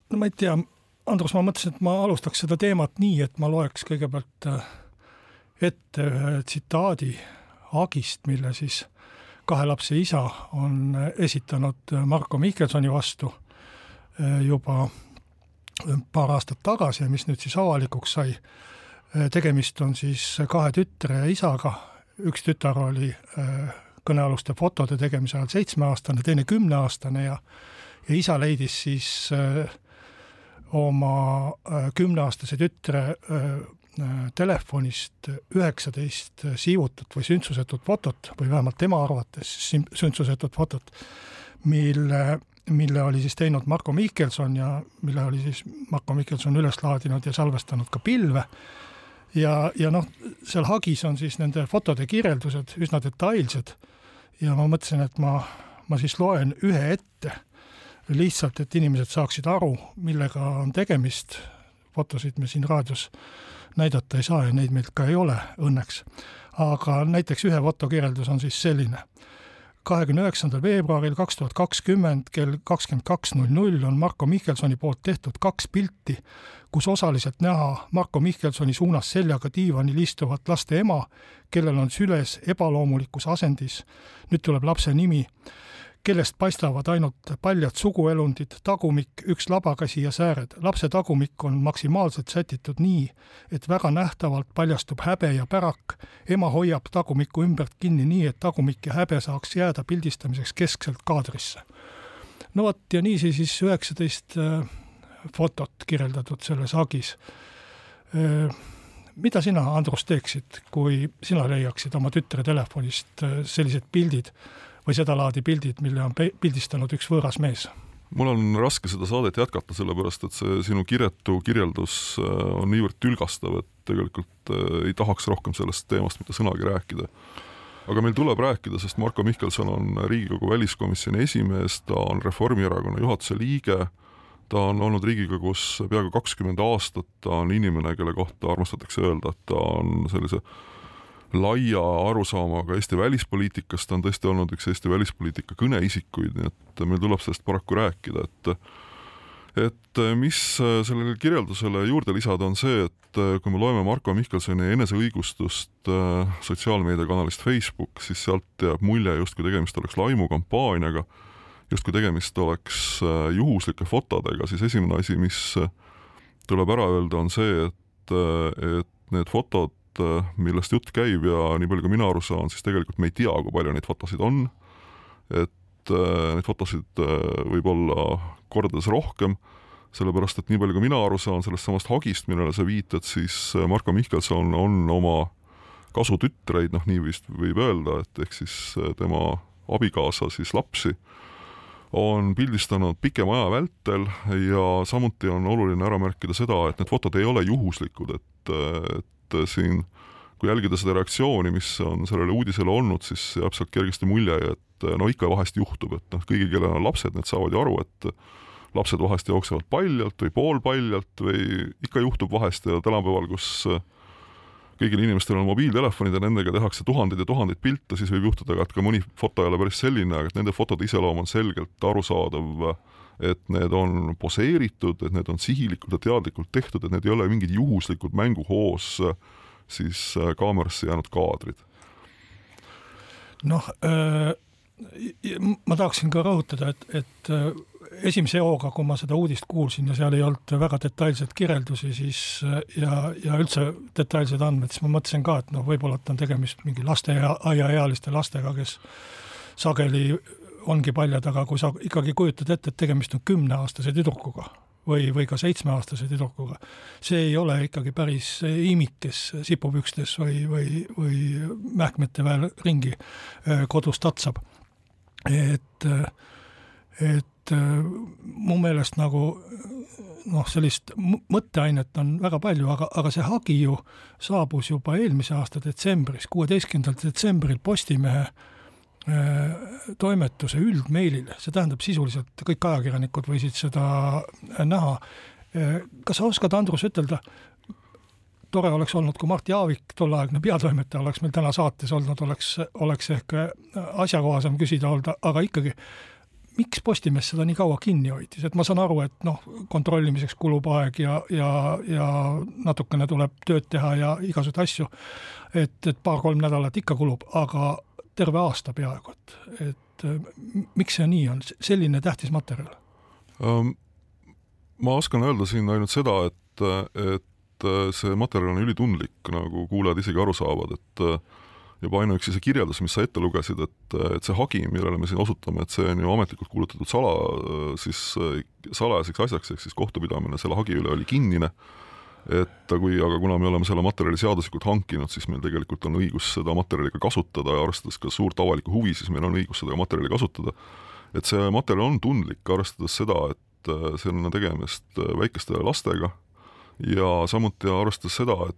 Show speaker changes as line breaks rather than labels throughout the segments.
No ma ei tea, Andrus, ma mõtlesin, et ma alustaks seda teemat nii, et ma loeks kõigepealt ette ühe tsitaadi Agist, mille siis 2 lapse isa on esitanud Marko Mihkelsoni vastu juba paar aastat tagasi ja mis nüüd siis avalikuks sai. Tegemist on siis 2 tütre ja isaga. Üks tütar oli kõnealuste fotode tegemise ajal 7-aastane, teine 10-aastane ja isa leidis siis oma 10-aastase tütre telefonist 19 siivutut või süntsusetut fotot või vähemalt tema arvates süntsusetut fotot, mille oli siis teinud Marko Mihkelson ja mille oli siis Marko Mihkelson üles laadinud ja salvestanud ka pilve. Ja seal Hagis on siis nende fotode kirjeldused üsna detailsed ja ma mõtlesin, et ma siis loen ühe ette lihtsalt, et inimesed saaksid aru, millega on tegemist. Fotosid me siin raadios näidata ei saa ja neid meil ka ei ole õnneks. Aga näiteks ühe fotokirjeldus on siis selline. 29. veebruaril 2020 kell 22.00 on Marko Mihkelsoni poolt tehtud 2 pilti, kus osaliselt näha Marko Mihkelsoni suunas seljaga diivanil istuvat laste ema, kellel on süles ebaloomulikus asendis. Nüüd tuleb lapse nimi, kellest paistavad ainult paljad suguelundid, tagumik, 1 labakäsi ja sääred. Lapse tagumik on maksimaalselt sätitud nii, et väga nähtavalt paljastub häbe ja pärak. Ema hoiab tagumiku ümbert kinni nii, et tagumik ja häbe saaks jääda pildistamiseks keskselt kaadrisse. No vot, ja nii siis 19 fotot kirjeldatud selles Agis. Mida sina, Andrus, teeksid, kui sina leiaksid oma tütre telefonist sellised pildid või seda laadi pildid, mille on pildistanud üks võõras mees?
Mul on raske seda saadet jätkata, sellepärast, et see sinu kiretu kirjeldus on niivõrd tülgastav, et tegelikult ei tahaks rohkem sellest teemast mitte sõnagi rääkida. Aga meil tuleb rääkida, sest Marko Mihkelson on Riigikogu väliskomisjoni esimees, ta on Reformierakonna juhatuse liige, ta on olnud Riigikogus peaaegu 20 aastat, ta on inimene, kelle kohta armastatakse öelda, et ta on sellise laia arusaamaga Eesti välispoliitikast, ta on tõesti olnud üks Eesti välispoliitika kõneisikuid, nii et meil tuleb sellest paraku rääkida, et mis sellele kirjeldusele juurde lisada on see, et kui me loeme Marko Mihkelsoni eneseõigustust sotsiaalmeediakanalist Facebook, siis sealt jääb mulje, justkui tegemist oleks laimukampaaniaga, justkui tegemist oleks juhuslike fotodega, siis esimene asi, mis tuleb ära öelda, on see, et need fotod, millest jutt käib ja nii palju kui mina aru saan, siis tegelikult me ei tea, kui palju neid fotosid on, et neid fotosid võib olla kordades rohkem, sellepärast, et nii palju kui mina aru saan sellest samast Hagist, millele sa viitad, siis Marko Mihkelson on oma kasutütreid, nii vist võib öelda, et ehk siis tema abikaasa siis lapsi on pildistanud pikema aja vältel ja samuti on oluline ära märkida seda, et need fotod ei ole juhuslikud, et siin, kui jälgida seda reaktsiooni, mis on sellele uudisele olnud, siis jääb sealt kergesti mulje, et ikka vahest juhtub, et kõigil, kellel on lapsed, need saavad ju aru, et lapsed vahest jooksevad paljalt või poolpaljalt või ikka juhtub vahest ja tänapäeval, kus kõigil inimestel on mobiiltelefonid ja nendega tehakse tuhandeid ja tuhandeid pilte, siis võib juhtuda, et ka mõni foto ei ole päris selline, aga et nende fotode iseloom on selgelt arusaadav, et need on poseeritud, et need on sihilikult ja teadlikult tehtud, et need ei ole mingid juhuslikud mänguhoos siis kaamerasse jäänud kaadrid.
Ma tahaksin ka rõhutada, et esimese hooga, kui ma seda uudist kuulsin ja seal ei olnud väga detailsed kirjeldusi siis, ja üldse detailsed andmed, siis ma mõtlesin ka, et võib-olla on tegemist mingi lasteaiaealiste lastega, kes sageli ongi paljad, aga kui sa ikkagi kujutad ette, et tegemist on 10-aastase tüdrukuga või ka 7-aastase tüdrukuga, see ei ole ikkagi päris imik, kes sipupükstes või mähkmete väel ringi kodus tatsab. Et mu meelest sellist mõtteainet on väga palju, aga see Hagi ju saabus juba eelmise aasta detsembris, 16. detsembril Postimehe toimetuse üldmeilile. See tähendab sisuliselt kõik ajakirjanikud võisid seda näha. Kas sa oskad, Andrus, ütelda, tore oleks olnud, kui Mart Jaavik, tolleaegne peatoimetaja, oleks meil täna saates olnud, oleks ehk asjakohasem küsida olnud, aga ikkagi, miks Postimees seda nii kaua kinni hoidis, et ma saan aru, et kontrollimiseks kulub aeg ja natukene tuleb tööd teha ja igasuguseid asju, et 2-3 nädalat ikka kulub, aga terve aasta peaaegu, et miks see nii on, selline tähtis materjal?
Ma oskan öelda siin ainult seda, et see materjal on ülitundlik, nagu kuulajad isegi aru saavad, et juba ainuüksi see kirjeldus, mis sa ette lugesid, et see hagi, millele me siin osutame, et see on ju ametlikult kuulutatud salajaseks asjaks, ehk siis kohtupidamine selle hagi üle oli kinnine, aga kuna me oleme selle materjali seaduslikult hankinud, siis meil tegelikult on õigus seda materjali ka kasutada ja arvestades ka suurt avalikku huvi, siis meil on õigus seda materjali kasutada. Et see materjal on tundlik, arvestades seda, et seal on tegemist väikeste lastega ja samuti arvestades seda, et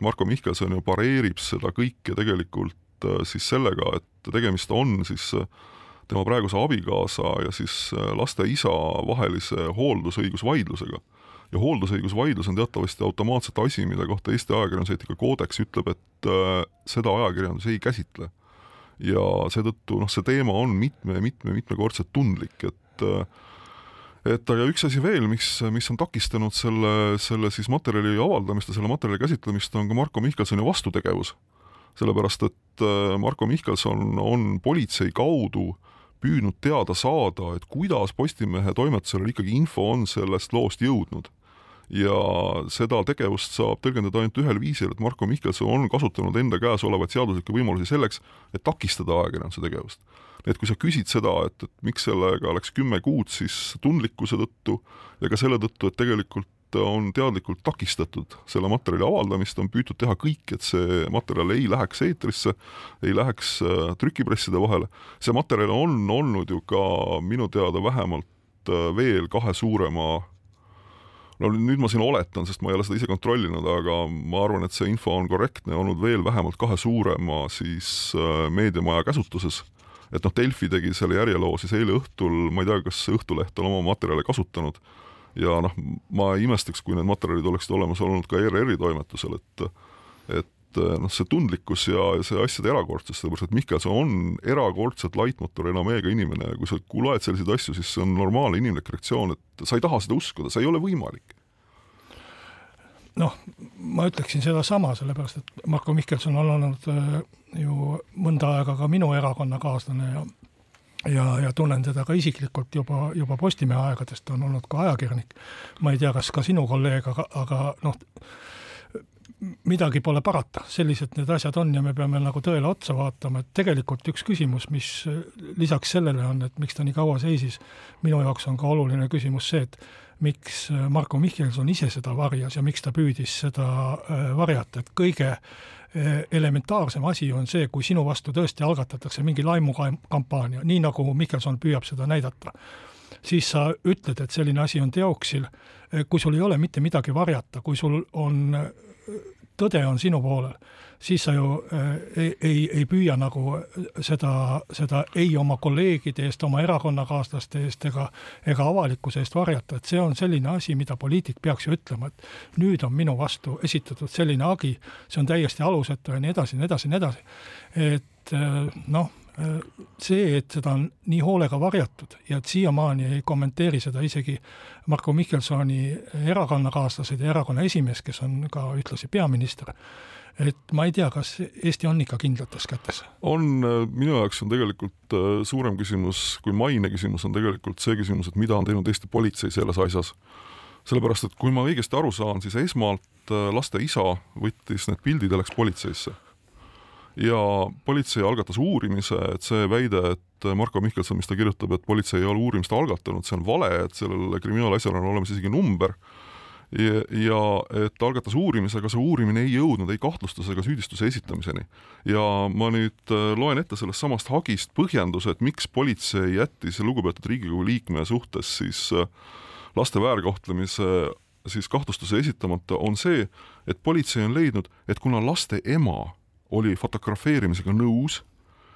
Marko Mihkelson ju pareerib seda kõike tegelikult siis sellega, et tegemist on siis tema praeguse abikaasa ja siis laste isa vahelise hooldusõigusvaidlusega. Ja hooldusõigusvaidlus on teatavasti automaatselt asi, mida kohta Eesti ajakirjanduseetika koodeks ütleb, et seda ajakirjandus ei käsitle. Ja seetõttu see teema on mitmekordselt tundlik, aga üks asi veel, mis on takistanud selle siis materjali avaldamist ja selle materjali käsitlemist, on ka Marko Mihkelsoni vastutegevus. Sellepärast, et Marko Mihkelson on politsei kaudu püüdnud teada saada, et kuidas Postimehe toimetusele ikkagi info on sellest loost jõudnud. Ja seda tegevust saab tõlgendada ainult ühel viisil, et Marko Mihkelson on kasutanud enda käes olevaid seaduslikke võimalusi selleks, et takistada ajakirjanduse tegevust. Et kui sa küsid seda, et miks sellega läks 10 kuud, siis tundlikkuse tõttu ja ka selle tõttu, et tegelikult on teadlikult takistatud selle materjali avaldamist, on püütud teha kõik, et see materjal ei läheks eetrisse, ei läheks trükipresside vahele. See materjal on olnud ju ka minu teada vähemalt veel 2 suurema, nüüd ma siin oletan, sest ma ei ole seda ise kontrollinud, aga ma arvan, et see info on korrektne, olnud veel vähemalt 2 suurema siis meediamaja käsutuses. Et Delfi tegi selle järjeloo siis eile õhtul, ma ei tea, kas Õhtuleht on oma materjale kasutanud ja ma imestaks, kui need materjalid oleksid olemas olnud ka ERR-i toimetusel, et see tundlikkus ja see asjade erakordsus, sellepärast, et Mihkelson on erakordselt laitmotor enameega inimene ja kui sa loed selliseid asju, siis see on normaalne inimlik reaktsioon, et sa ei taha seda uskuda, see ei ole võimalik.
Ma ütleksin seda sama, sellepärast, et Marko Mihkelson on olnud ju mõnda aega ka minu erakonnakaaslane ja tunnen teda ka isiklikult juba Postimehe aegadest, on olnud ka ajakirjanik. Ma ei tea, kas ka sinu kolleeg, aga midagi pole parata. Sellised need asjad on ja me peame nagu tõele otsa vaatama, et tegelikult üks küsimus, mis lisaks sellele on, et miks ta nii kaua seisis, minu jaoks on ka oluline küsimus see, et miks Marko Mihkelson ise seda varjas ja miks ta püüdis seda varjata, et kõige elementaarsem asi on see, kui sinu vastu tõesti algatatakse mingi laimukampaania, nii nagu Mihkelson püüab seda näidata, siis sa ütled, et selline asi on teoksil, kui sul ei ole mitte midagi varjata, kui sul on tõde on sinu poolel, siis sa ju ei püüa nagu seda ei oma kolleegide eest, oma erakonnakaaslaste eest ega avalikkuse eest varjata, et see on selline asi, mida poliitik peaks ju ütlema, et nüüd on minu vastu esitatud selline agi, see on täiesti alusetu ja nii edasi. Et see, et seda on nii hoolega varjatud ja et siiamaani ei kommenteeri seda isegi Marko Mihkelsoni erakonnakaaslased ja erakonna esimees, kes on ka ühtlasi peaminister, et ma ei tea, kas Eesti on ikka kindlates kätes?
Minu jaoks on tegelikult suurem küsimus, kui maine küsimus on tegelikult see küsimus, et mida on teinud Eesti politsei selles asjas. Sellepärast, et kui ma õigesti aru saan, siis esmalt laste isa võttis need pildid ja läks politseisse. Ja politsei algatas uurimise, et see väide, et Marko Mihkelson, mis ta kirjutab, et politsei ei ole uurimist algatanud, see on vale, et sellel kriminaalasjal on olemas isegi number ja et algatas uurimise, aga see uurimine ei jõudnud ei kahtlustuse ega süüdistuse esitamiseni. Ja ma nüüd loen ette sellest samast hagist põhjenduse, et miks politsei jättis lugupeetud Riigikogu liikme suhtes siis laste väärkohtlemise siis kahtlustuse esitamata, on see, et politsei on leidnud, et kuna laste ema oli fotografeerimisega nõus,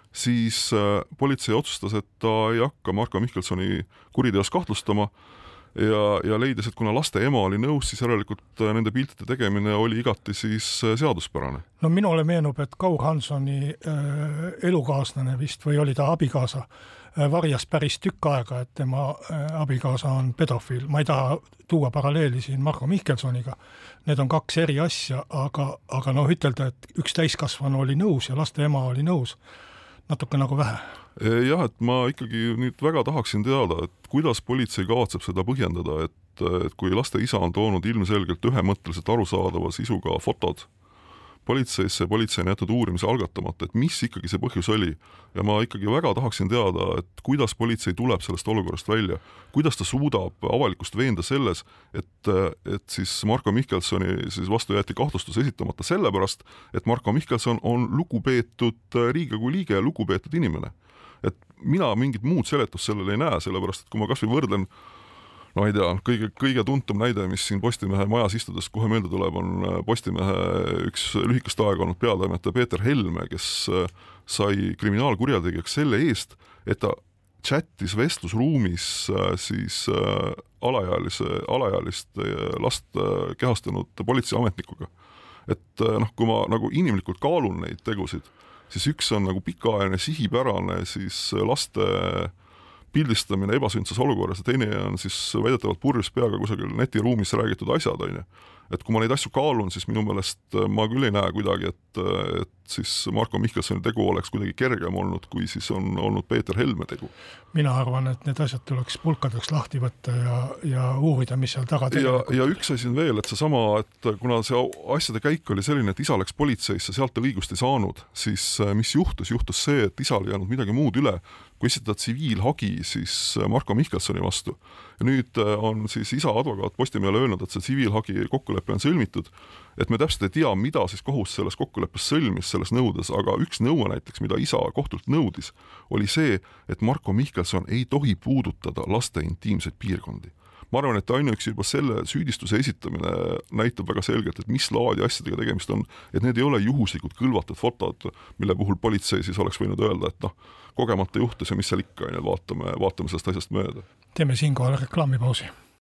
siis politsei otsustas, et ta ei hakka Marko Mihkelsoni kuriteos kahtlustama ja leidis, et kuna laste ema oli nõus, siis järelikult nende piltide tegemine oli igati siis seaduspärane.
No minule meenub, et Kaur Hansoni elukaaslane vist või oli ta abikaasa, varjas päris tükk aega, et tema abikaasa on pedofiil. Ma ei taha tuua paralleeli siin Marko Mihkelsoniga. Need on kaks eri asja, aga noh, ütelda, et üks täiskasvanu oli nõus ja laste ema oli nõus, natuke nagu vähe.
Jah, et ma ikkagi nüüd väga tahaksin teada, et kuidas politsei kavatseb seda põhjendada, et kui laste isa on toonud ilmselgelt ühemõtteliselt arusaadava sisuga fotod politseisse, politsei on jätud uurimise algatamata, et mis ikkagi see põhjus oli. Ja ma ikkagi väga tahaksin teada, et kuidas politsei tuleb sellest olukorrast välja, kuidas ta suudab avalikkust veenda selles, et siis Marko Mihkelsoni siis vastu jäeti kahtlustus esitamata sellepärast, et Marko Mihkelson on lugupeetud Riigikogu liige ja lugupeetud inimene. Et mina mingit muud seletust sellele ei näe, sellepärast, et kui ma kas või võrdlen no ei tea, kõige tuntum näide, mis siin Postimehe majas istudes kohe meelde tuleb, on Postimehe üks lühikest aega olnud peatoimetaja Peeter Helme, kes sai kriminaalkurjategijaks selle eest, et ta chattis vestlusruumis siis alaealist last kehastanud politseiametnikuga. Et noh, kui ma nagu inimlikult kaalun neid tegusid, siis üks on nagu pikaajaline sihipärane siis laste pildistamine ebasündsas olukorras ja teine on siis väidetavalt purjus peaga kusagil netiruumis räägitud asjad, on ju. Et kui ma neid asju kaalun, siis minu meelest ma küll ei näe kuidagi, et siis Marko Mihkelsoni tegu oleks kuidagi kergem olnud, kui siis on olnud Peeter Helme tegu.
Mina arvan, et need asjad tuleks pulkadeks lahti võtta ja uurida, mis seal taga tegelikult.
Ja üks asi on veel, et seesama, et kuna see asjade käik oli selline, et isa läks politseisse, sealt ta õigust ei saanud, siis mis juhtus? Juhtus see, et isal ei jäänud midagi muud üle, kui esitada tsiviilhagi siis Marko Mihkelsoni vastu. Ja nüüd on siis isa advokaat Postimehele öelnud, et see tsiviilhagi kokkulepe on sõlmitud, et me täpselt ei tea, mida siis kohus selles kokkuleppes sõlmis selles nõudes, aga üks nõue näiteks, mida isa kohtult nõudis, oli see, et Marko Mihkelson ei tohi puudutada laste intiimseid piirkondi. Ma arvan, et ainuüksi juba selle süüdistuse esitamine näitab väga selgelt, et mis laadi asjadega tegemist on, et need ei ole juhuslikud kõlvatud fotod, mille puhul politsei siis oleks võinud öelda, et noh, kogemata juhtus ja mis seal ikka, vaatame sellest asjast mööda.
Teeme siinkohal reklaamipausi.